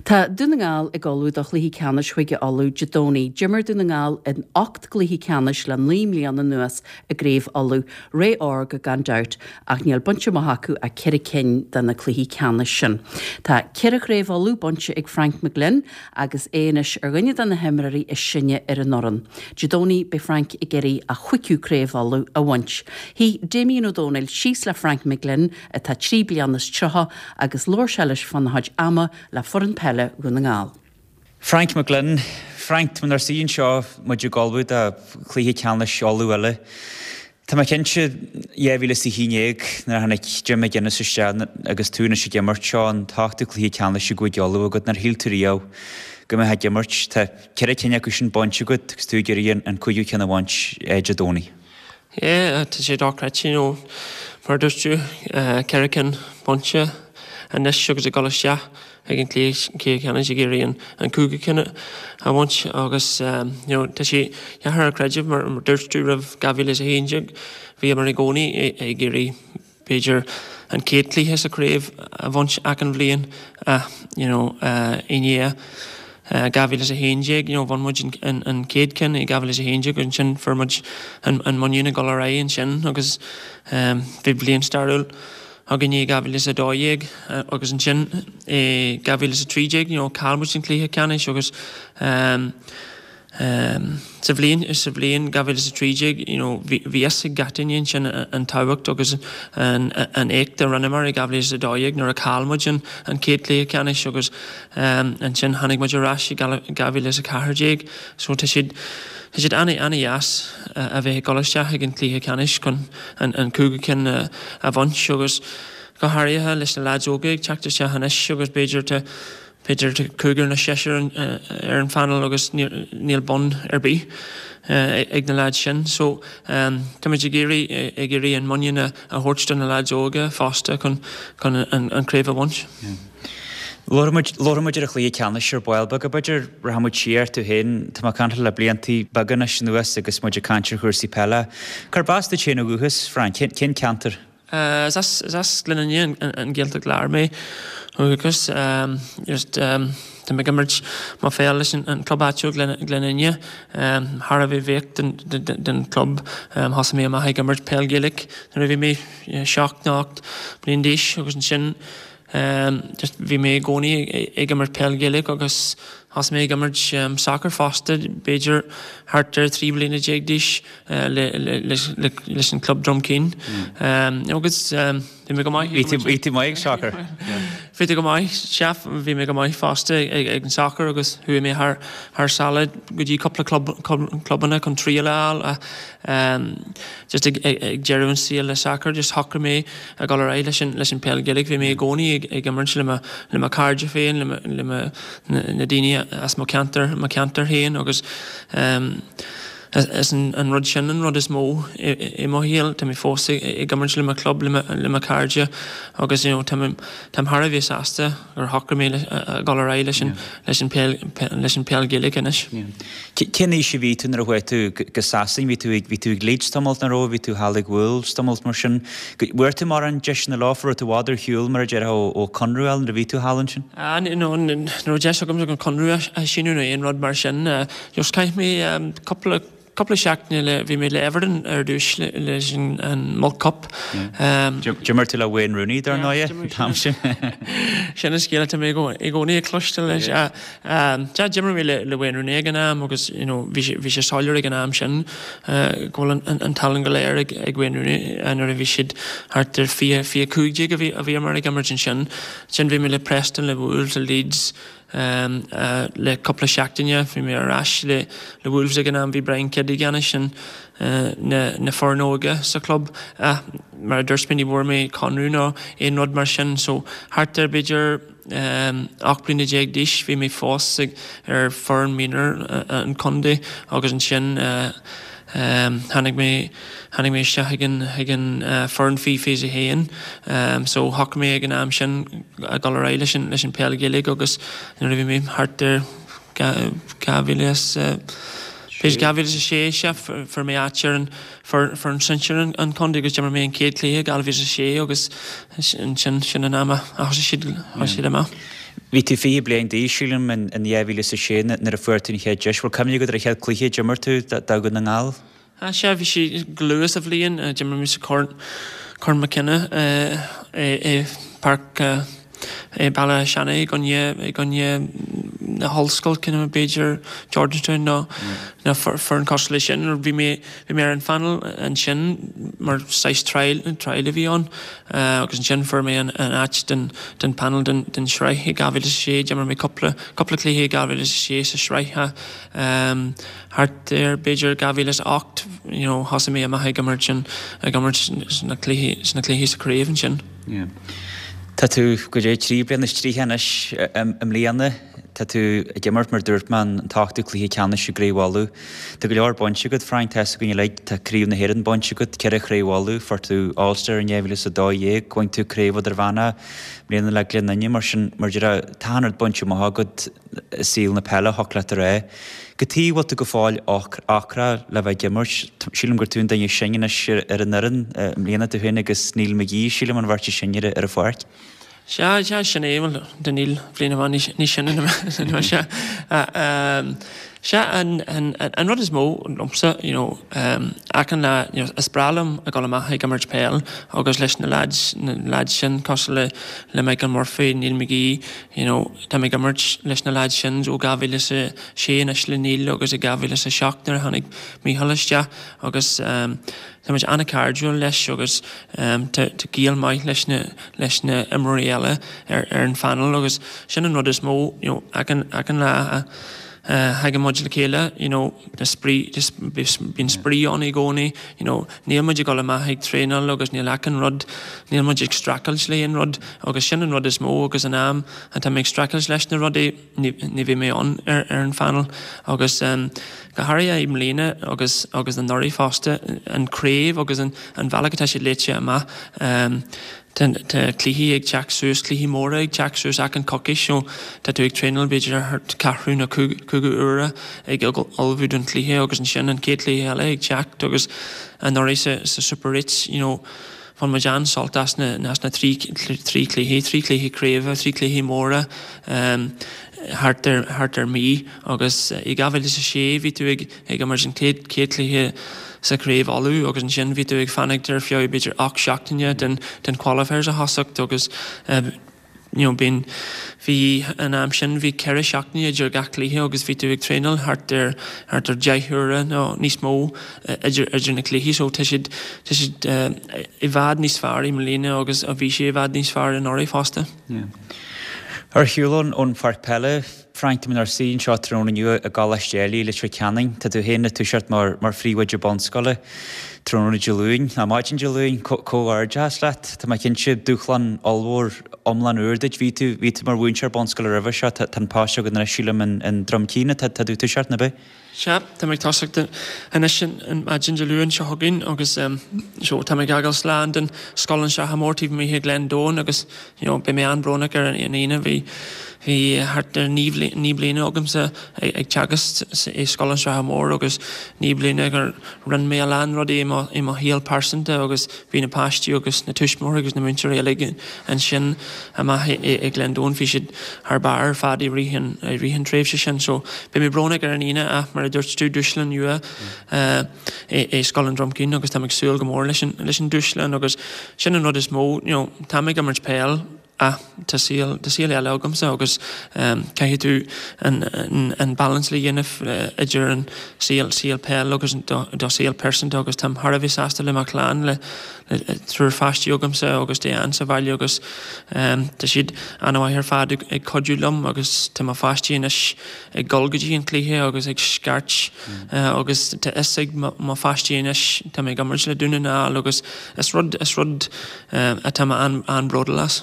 Tá Dún na nGall ag ullmhú do chluiche ceannais Chúige Uladh Dé Domhnaigh. D'imir Dún na nGall in 8 gcluiche ceannais le 9 mbliana anuas i gCraobh Uladh, ré órga gan dabht, ach níl bainte amach acu ach ceithre cinn de na cluichí ceannais sin. Tá ceithre Chraobh Uladh bainte ag Frank McGlynn agus é anois ar dhuine de na himreoirí is sine ar an fhoireann. Dé Domhnaigh beidh Frank ag iarraidh a chúigiú Craobh Uladh a bhaint. Shuigh Damien Ó Dónaill síos le Frank McGlynn, atá 33 bliana, agus labhair sé leis fána chuid ama le foireann peile Dhún na nGall. Frank McGlynn, Frank, tá muid inár suí anseo, muid ag ullmhú do chluiche ceannais Uladh eile. Tá mé cinnte, 2011, nuair a tháinig Jim McGuinness isteach agus tú anois ag imirt, seo an t-ochtú cluiche ceannais i gCúige Uladh agat, nár shíl tú riamh go mbeifeá ag imirt. Tá ceithre cinn acu sin bainte agat agus tú ag iarraidh an cúigiú ceann a bhaint Dé Domhnaigh. Yeah, tá sé dochreidte, you know, mar a dúirt tú, ceithre cinn bainte anois agus ag dul isteach ag an cluiche ceannais ag iarraidh an cúigiú ceann a bhaint agus, you know, tá sé deacair a chreideamh mar a dúirt tú roimh 2011 bhíomar i gcónaí ag iarraidh b'fhéidir an chéad chluiche sa chraobh a bhaint achan bhliain ach you know i ndiaidh 2011 you know bhain muid an an chéad ceann i 2011 agus ansin fuair muid an an muinín ag dul ar aghaidh ansin agus bhí bliain stairiúil againn i 2012 agus ansin i 2013 you know chaill muid an cluiche ceannais agus Sa bhliain, sa bhliain 2013, you know, bhí fhios ag gach duine ansin an tábhacht agus an éacht a rinneamar i 2012 nuair a chaill muid an chéad chluiche ceannais agus ansin tháinig muid ar ais i 2014. So tá siad, tá siad an-dheas a bheith ag dul isteach ag an chluiche ceannais chun an cúigiú ceann a bhaint agus go háirithe leis na lads óga ag teacht isteach anois agus b'fhéidir tá B'fhéidir cúigear nó seisear ar an phainéal agus níl bonn ar bith ag na leaids sin. So táimid ag iarraidh ag iarraidh an muinín a thabhairt do na leaids óga fosta chun chun an craobh a bhaint. Labharfaidh muid labharfaidh muid ar an chluiche ceannais ar ball beag. B'fhéidir rachaidh muid siar tú féin. Tá mé ag caint le bliantaí beaga anois anuas agus muid ag caint ar chúrsaí peile. Cárb as duit féin ó dhúchas, Frank? Cén ceantar? Is as Gleann Fhinne, an Ghaeltacht Láir mé ó dhúchas. Just tá mé ag imirt mo pheil leis an club áitiúil Gleann Fhinne. Thar a bheith bhuíoch den club. Thosaigh mé amach ag imirt peil Gaelach nuair a bhí mé 7 nó 8 bliain d'aois agus ansin just bhí mé i gcónaí ag imirt peil Gaelach agus thosaigh mé ag imirt sacar fosta b'fhéidir thart ar 13 bliana d'aois. leis an club Drumkeen. Agus bhí mé go maith. Bhí tú maith ag sacar? Bhí mé go maith, sea, bhí mé go maith fosta ag an sacar agus chuaigh mé thar sáile go dtí cúpla clubanna chun triail a fháil ach just ag deireadh an saol le sacar just shocraigh mé a dhul ar aghaidh leis an peil Gaelach. Bhí mé i gcónaí ag imirt le mo chairde féin, le na daoine as mo cheantar, mo cheantar féin agus Is an rud sin an rud is mó i mo shaol. Tá mé fós ag imirt le mo chlub, le mo chairde agus you know táim thar a bheith sásta gur shocraigh mé a dhul ar aghaidh leis an leis an peil leis an peil Gaelach anois. Cén aois a bhí tú nuair a chuaigh tú go Sasain? Bhí tú ag bhí tú ag Leeds tamall nach raibh? Bhí tú thall ag Wolves tamall mar sin. Bhfuair tú mórán deiseanna leo? Raibh tú i bhfad ar shiúl mar a déarfá ó chonradh a fháil nuair a bhí tú thall ansin? No, ní raibh deis agam chun conradh a síniú nó aon rud mar sin. Just chaith mé cúpla cúpla seachtaine le bhí mé le Everton ar dtús leis an Milk Cup. D'imir tú le Wayne Rooney dar ndóigh an t-am sin. Sin an scéal atá mé i gcónaí ag cloisteáil leis. Sea, d'imir mé le Wayne Rooney ag an am agus you know bhí sé bhí sé soiléir ag an am sin go bhfuil an tallann go léir ag Wayne Rooney nuair a bhí siad thart ar 20, 25 a bhí a bhíomar ag imirt ansin. Ansin bhí mé le Preston, le Wolves, le Leeds, Le cúpla seachtaine bhí mé ar ais le Wolves ag an am, bhí Brian Kidd i gceannais na foirne óige sa chlub ach mar a dúirt mé ní bhfuair mé conradh nó aon rud mar sin so thart ar b'fhéidir 18 bliana d'aois bhí mé fós ar foireann mionúr an chontae agus ansin Tháinig mé, tháinig mé isteach chuig an, chuig an foireann faoi 21. So shocraigh mé ag an am sin a dhul ar aghaidh leis an, leis an peil Ghaeilge agus nuair a bhí mé thart ar 2000 b'fhéidir 2006 sea, fuair mé áit ar an foireann sinsir an chontae agus d'imir mé an chéad chluiche i 2006 agus ansin sin an am a thosaigh siad, thosaigh siad amach. Bhí tú 20 bliain d'aois, sílim, in 2006 nuair a fuair tú an chéad deis. Bhfuil cuimhne agat ar an chéad cluiche a d'imir tú do Dhún na nGall? Sea, bhí sé go luath sa bhliain. D'imir mé sa Corn, Corn McKenna i Páirc i Béal Átha Seanaidh i gcoinne, i gcoinne na hollscoil, cineál b'fhéidir Georgetown nó nó foireann cosúil leis sin. Bhí mé, bhí mé ar an phanel ansin mar saghas trial, trial a bhí ann agus ansin fuair mé an an áit den den panel den den sraith i 2006. D'imir mé cúpla, cúpla cluiche i 2006 sa sraith thart ar b'fhéidir 2008 you know thosaigh mé amach ag imirt sin, ag imirt sna cluichí, sna cluichí sa craobh ansin. Yeah. Tá tú goidé 3 bliana is 30 anois i mbliana. Tá tú ag imirt mar dúirt mé an t-ochtú cluiche ceannais i gCraobh Uladh. Tá go leor bainte agat Frank, tá fhios againn uilig, tá Craobh na hÉireann bainte agat, ceithre Chraobh Uladh, fuair tú All Star in 2012, bhain tú Craobh Idirmheánach i mbliana le Gleann Fhinne mar sin mar a déarfá tá an-rud bainte amach agat i saol na peile, thiocfadh leat a rá. Cad chuige a bhfuil tú go fóill ocrach le bheith ag imirt. Sílim gur tú an duine is sine anois ar an fhoireann i mbliana, tú féin agus Neil McGee, sílim, an bheirt is sine ar an pháirc. Sea, sea, sin é, bhuel, tá Neil bliain amháin níos sine ná mise. Sea, an rud is mó liomsa, you know, achan lá, you know, is breá liom a dhul amach ag imirt peil agus leis na lads, na lads sin cosúil le, le Michael Murphy, Neil McGee, You know, tá mé ag imirt leis na lads sin ó 2006 anois le Neil agus i 2007 nuair a tháinig Micheál isteach agus tá muid an-chairdiúil leis agus tá gaol maith leis na leis na imreoirí eile ar ar an phanel agus sin an rud is mó, you know, achan achan lá a thagann muid le chéile, you know, Tá spraoi, bíonn spraoi ann i gcónaí, you know, níl muid ag dul amach ag traenáil agus níl achan rud, níl muid ag streachailt le aon rud agus sin an rud is mó agus an am atá mé ag streachailt leis na rudaí, ní, ní bheidh mé ann ar, ar an phanel agus go háirithe i mbliana agus, agus anuraidh fosta, an craobh agus an, an bhealach atá sé léite amach. Tá cluichí ag teacht suas, cluichí móra ag teacht suas achan coicís so tá tú ag traenáil b'fhéidir thart ceathrú nó cúigiú uaire ag ullmhú don chluiche agus ansin an chéad chluiche eile ag teacht agus anuraidh sa sa Super 8 you know bhain muid an-sult as na as na trí trí chluiche, trí chluiche craoibhe, trí chluiche móra thart ar thart ar mí agus i 2006 bhí tú ag ag imirt an chéad chluiche sa Chraobh Uladh agus ansin bhí tú ag fanacht ar feadh b'fhéidir 8 seachtaine den den qualifiers a thosacht agus you know bíonn bhí an am sin bhí 4 seachtaine idir gach cluiche agus bhí tú ag traenáil thart ar thart ar 10 huaire nó níos mó idir idir na cluichí so tá siad tá siad i bhfad níos fearr i mbliana agus bhí sé i bhfad níos fearr anuraidh fosta. Yeah. Ar shiúl ón pháirc peile, Frank, tá muid inár suí anseo tráthnóna inniu i gColáiste Ailigh i Leitir Ceanainn. Tá tú féin ag toiseacht mar mar phríomhoide bunscoile tráthnóna Dé Luain, nó maidin Dé Luain. Comhghairdeachas leat. Tá mé cinnte, dúshlán ollmhór iomlán úr duit. Bhí tú, bhí tú mar mhúinteoir bunscoile roimhe seo. Tá an post agat anois, sílim, in in Droim Cinn atá tú ag toiseacht, nó ab ea? Sea, tá mé ag tosacht anois an maidin Dé Luain seo chugainn agus so tá mé ag fhágáil slán den Scoil an tSratha Mór taobh amuigh i Gleann Domhain agus you know beidh mé an-bhrónach ar an Aoine. Bhí bhí thart ar 9 bliana agamsa ag teagasc i Scoil an tSratha Mór agus 9 bliana gur rinne mé a lán rudaí i mo i mo shaol pearsanta agus Bhí na páistí agus na tuismitheoirí agus na múinteoirí uilig ansin amach i Gleann Domhain. Bhí siad thar barr ar fad i rith an i rith an tréimhse sin. So beidh mé brónach ar an Aoine ach mar a dúirt tú dúshlán nua i Scoil an Drom Cinn agus táim ag súil go mór leis an leis an dúshlán agus sin an rud is mó you know táim ag imirt peil ach tá saol, tá saol eile agamsa agus caithfidh tú an, an balance le dhéanamh idir an saol, saol peil agus do, do saol pearsanta agus táim thar a bheith sásta le mo chlann, le, le triúr pháistí agamsa agus Diane sa bhaile agus tá siad an-mhaith ar fad ag, ag cuidiú liom agus tá mo pháistí anois ag dul go dtí an cluiche agus ag scairt agus tá fhios ag mo, mo pháistí anois tá mé ag imirt le Dún na nGall agus is rud, is rud atá mé an-bhródúil as.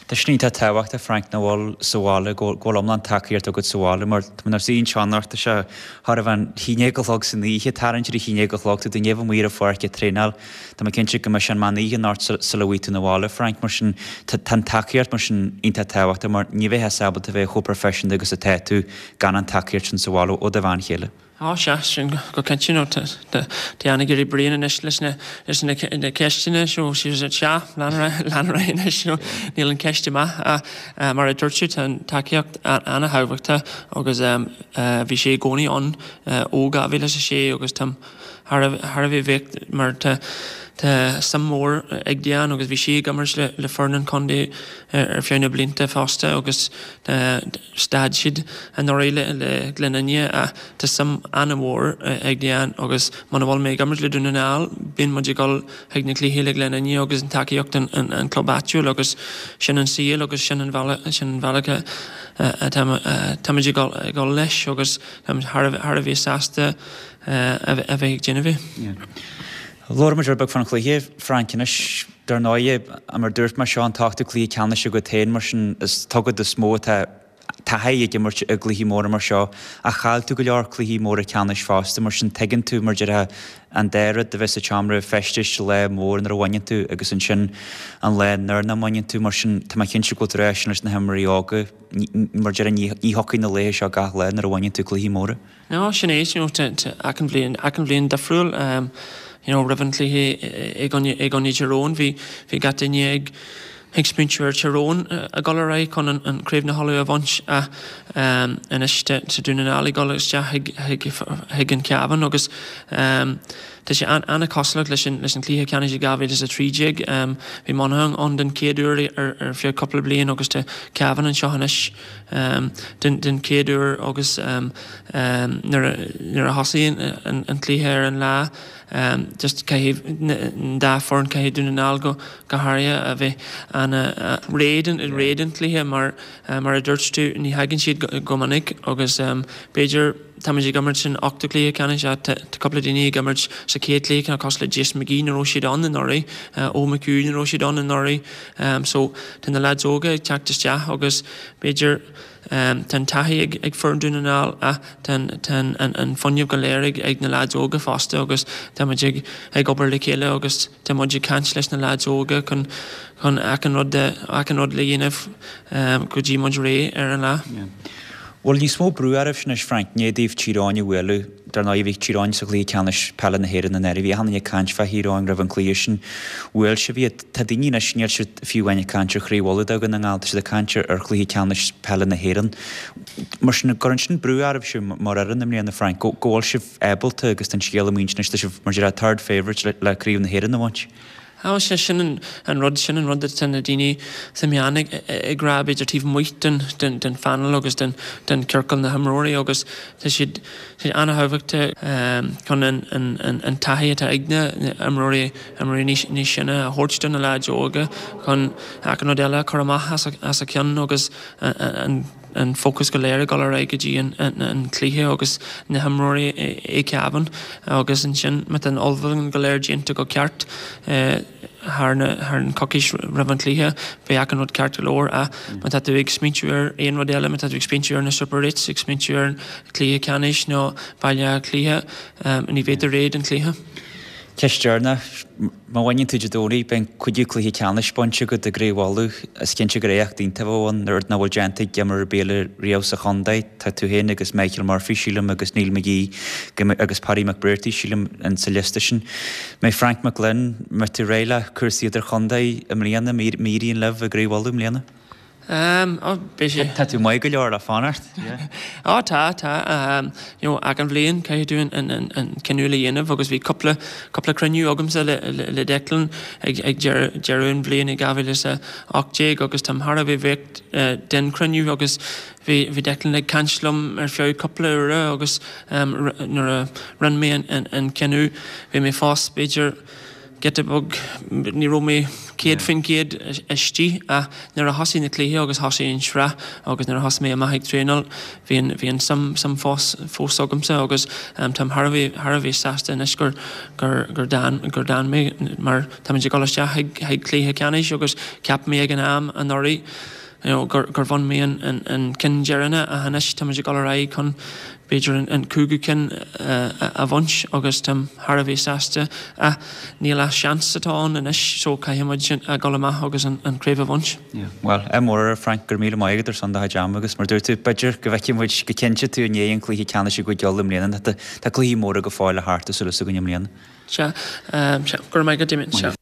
Tá sin iontach tábhachtach Frank nach bhfuil sa bhaile, go bhfuil iomlán tacaíocht agat sa bhaile mar tá muid inár suí anseo anocht, tá sé chóir a bheith an 11 a chlog san oíche, tarraingt ar a 11 a chlog, tá tú i ndiaidh a bheith amuigh ar an pháirc ag traenáil, tá mé cinnte go mbeidh sé an meán oíche anocht sula bhfaighidh tú 'na bhaile Frank, mar sin tá an tacaíocht mar sin iontach tábhachtach mar ní bheifeá ábalta a bheith chomh proifisiúnta agus atá tú gan an tacaíocht sin sa bhaile ó do bhean chéile. Á sea, sin go cinnte, you know, tá Diane ag éirí bréan anois leis na leis na ceisteanna so sea, lean ar aghaidh anois, you know, níl an ceist amach ach mar a dúirt tú tá an tacaíocht an-thábhachtach agus bhí sé i gcónaí ann ó 2006 agus táim thar a bheith bhuíoch mar tá tá suim mhór ag Diane agus bhí sí ag imirt le le foireann an chontae ar feadh na blianta fosta agus stad siad anuraidh le le Gleann Fhinne ach tá suim an-mhór ag Diane agus muna bhfuil mé ag imirt le Dún na nGall bíonn muid ag dul chuig na cluichí le Gleann Fhinne agus an tacaíocht an an club áitiúil agus sin an saol agus sin an bhealach sin an bhealach atá táimid ag dul ag dul leis agus táimid thar a bheith sásta a bheith ag déanamh é. Labhair muid rud beag fán chluiche, Frank, anois. Dar ndóighe, mar a dúirt mé, seo an t-ochtú cluiche ceannais agat féin, mar sin is agat is mó atá taithí ag imirt i gcluichí móra mar seo. Ach chaill tú go leor cluichí móra ceannais fosta, mar sin tuigeann tú, mar déarfá, an dá rud, a bheith sa tseomra feistis lá mór nuair a bhaineann tú agus ansin an lá nuair nach mbaineann tú. Mar sin tá mé cinnte go bhfuil tú ag rá sin leis na himreoirí óga, mar déarfá, ní thiocfaidh na laetha seo gach lá nuair a bhaineann tú cluichí móra. No, sin é, you know, achan bhliain, achan bhliain difriúil, you know, roimh an chluiche i gcoinne, i gcoinne Tyrone, bhí, bhí gach duine ag, ag smaointiú ar Tyrone ag dul ar aghaidh chun an, an Craobh na hUladh a bhaint ach anois tá, tá Dún na nGall ag dul isteach chuig, chuig, chuig an Cabhán agus tá sé an, an-chosúlach leis an, leis an chluiche ceannais i 2013. Bhí Monaghan ann den chéad uair ar, ar feadh cúpla bliain agus tá Cavan anseo anois. den chéad uair agus nuair a thosaíonn an cluiche ar an lá just caithfidh an dá foireann, caithfidh Dún na nGall go háirithe a bheith ana-réidh réidh don chluiche mar mar a dúirt tú ní thagann siad go minic agus b'fhéidir táimid ag imirt san ochtú cluiche ceannais ach tá cúpla daoine ag imirt sa chéad cluiche ceannais cosúil le Jason McGee ní raibh siad ann anuraidh, Eoin McHugh ní raibh siad ann anuraidh so tá na leaids óga ag teacht isteach agus b'fhéidir tá an taithí ag ag foireann Dún na nGall ach tá an tá an an fuinneamh go léir ag ag na leaids óga fosta agus tá muid ag ag obair le chéile agus tá muid ag caint leis na leaids óga chun chun achan rud achan rud le dhéanamh go dtí muid réidh ar an lá. Bhfuil níos mó brú oraibhse anois, Frank, i ndiaidh daoibh Tír Eoghain a bhualadh? Dar ndóigh, bhí Tír Eoghain sa chluiche ceannais peile na hÉireann anuraidh. Bhí achan duine ag caint fá Thír Eoghain roimh an chluiche sin. Bhuail sibh iad. Tá daoine anois, níl siad fiú amháin ag caint ar Chraobh Uladh do Dhún na nGall, tá siad ag caint ar chluiche ceannais peile na hÉireann. Mar sin, an gcuireann sin brú oraibhse mar fhoireann i mbliana, Frank, go bhfuil sibh ábalta agus tá an scéal amuigh ansin anois, tá sibh mar a déarfá third favourite le Craobh na hÉireann a bhaint. Á, sea, sin an rud, sin an rud atá na daoine sna meáin ag rá, b'fhéidir taobh amuigh den phainéal agus den ciorcal na himreoirí agus tá siad an-thábhachtach chun an taithí atá ag na imreoirí, imreoirí níos sine a thabhairt do na leaids óga chun achan rud eile a chur amach as a ceann agus an an fócas go léir ag dul ar aghaidh go dtí an cluiche agus na himreoirí i gCavan agus ansin má tá an ullmhúchán go léir déanta go ceart thar an coicís roimh an chluiche beidh achan rud ceart go leor ach má tá tú ag smaointiú ar aon rud eile, má tá tú ag smaointiú ar na Super Eights, ag smaointiú ar an chluiche ceannais nó Baile Átha Cliath ní bheidh tú réidh don chluiche. Ceist dheireanach, má bhaineann tú Dé Domhnaigh, beidh an cúigiú cluiche ceannais bainte agat i gCraobh Uladh. Is cinnte gur éacht iontach a bheadh ann, rud nach bhfuil déanta ag imreoir ar bith eile riamh sa chontae. Tá tú féin agus Michael Murphy, sílim, agus Neil McGee agus Paddy McBrearty, sílim, sa liosta sin. Mbeidh Frank McGlynn, mbeidh tú réidh le cúrsaí idirchontae i mbliana, má éiríonn libh i gCraobh Uladh i mbliana? Ehm, oh, beidh sé. Tá tú maith go leor le fanacht. Ó tá, tá. Ehm, you know, achan bhliain caithfidh tú an, an, an, an cinneadh le dhéanamh agus bhí cúpla, cúpla cruinniú agamsa le, le, le Declan ag, ag deireadh, deireadh an bhliain i 2018 agus táim thar a bheith bhuíoch eh, den chruinniú agus bhí, bhí Declan ag caint liom ar feadh cúpla uaire agus ehm, nuair a rinne mé an, an, an cinneadh bhí mé fós b'fhéidir giota beag, ní raibh mé 100% istigh ach nuair a thosaigh na cluichí agus thosaigh an sraith agus nuair a thosaigh mé amach ag traenáil bhí an bhí an suim suim fós fós agamsa agus táim thar a bheith thar a bheith sásta anois gur gur gur d'fhan gur d'fhan mé mar táimid ag dul isteach chuig chuig cluiche ceannais agus cheap mé ag an am anuraidh. you know, gur gur bhain mé an an an ceann deireanach ach anois táimid ag dul ar aghaidh chun b'fhéidir an an cúigiú ceann a bhaint agus táim thar a bheith sásta ach níl ach seans atá ann anois so caithfidh muid a dhul amach agus an an craobh a bhaint. Yeah. Bhuel, ádh mór ort Frank, go raibh míle maith agat ar son do chuid ama agus mar dúirt tú, b'fhéidir go bhfeicfidh muid go cinnte tú i ndiaidh an chluiche ceannais i gCúige Uladh i mbliana. Tá cluichí móra go fóill le theacht tá súil againn i mbliana. Sea, sea, go raibh maith agat Damien, sea.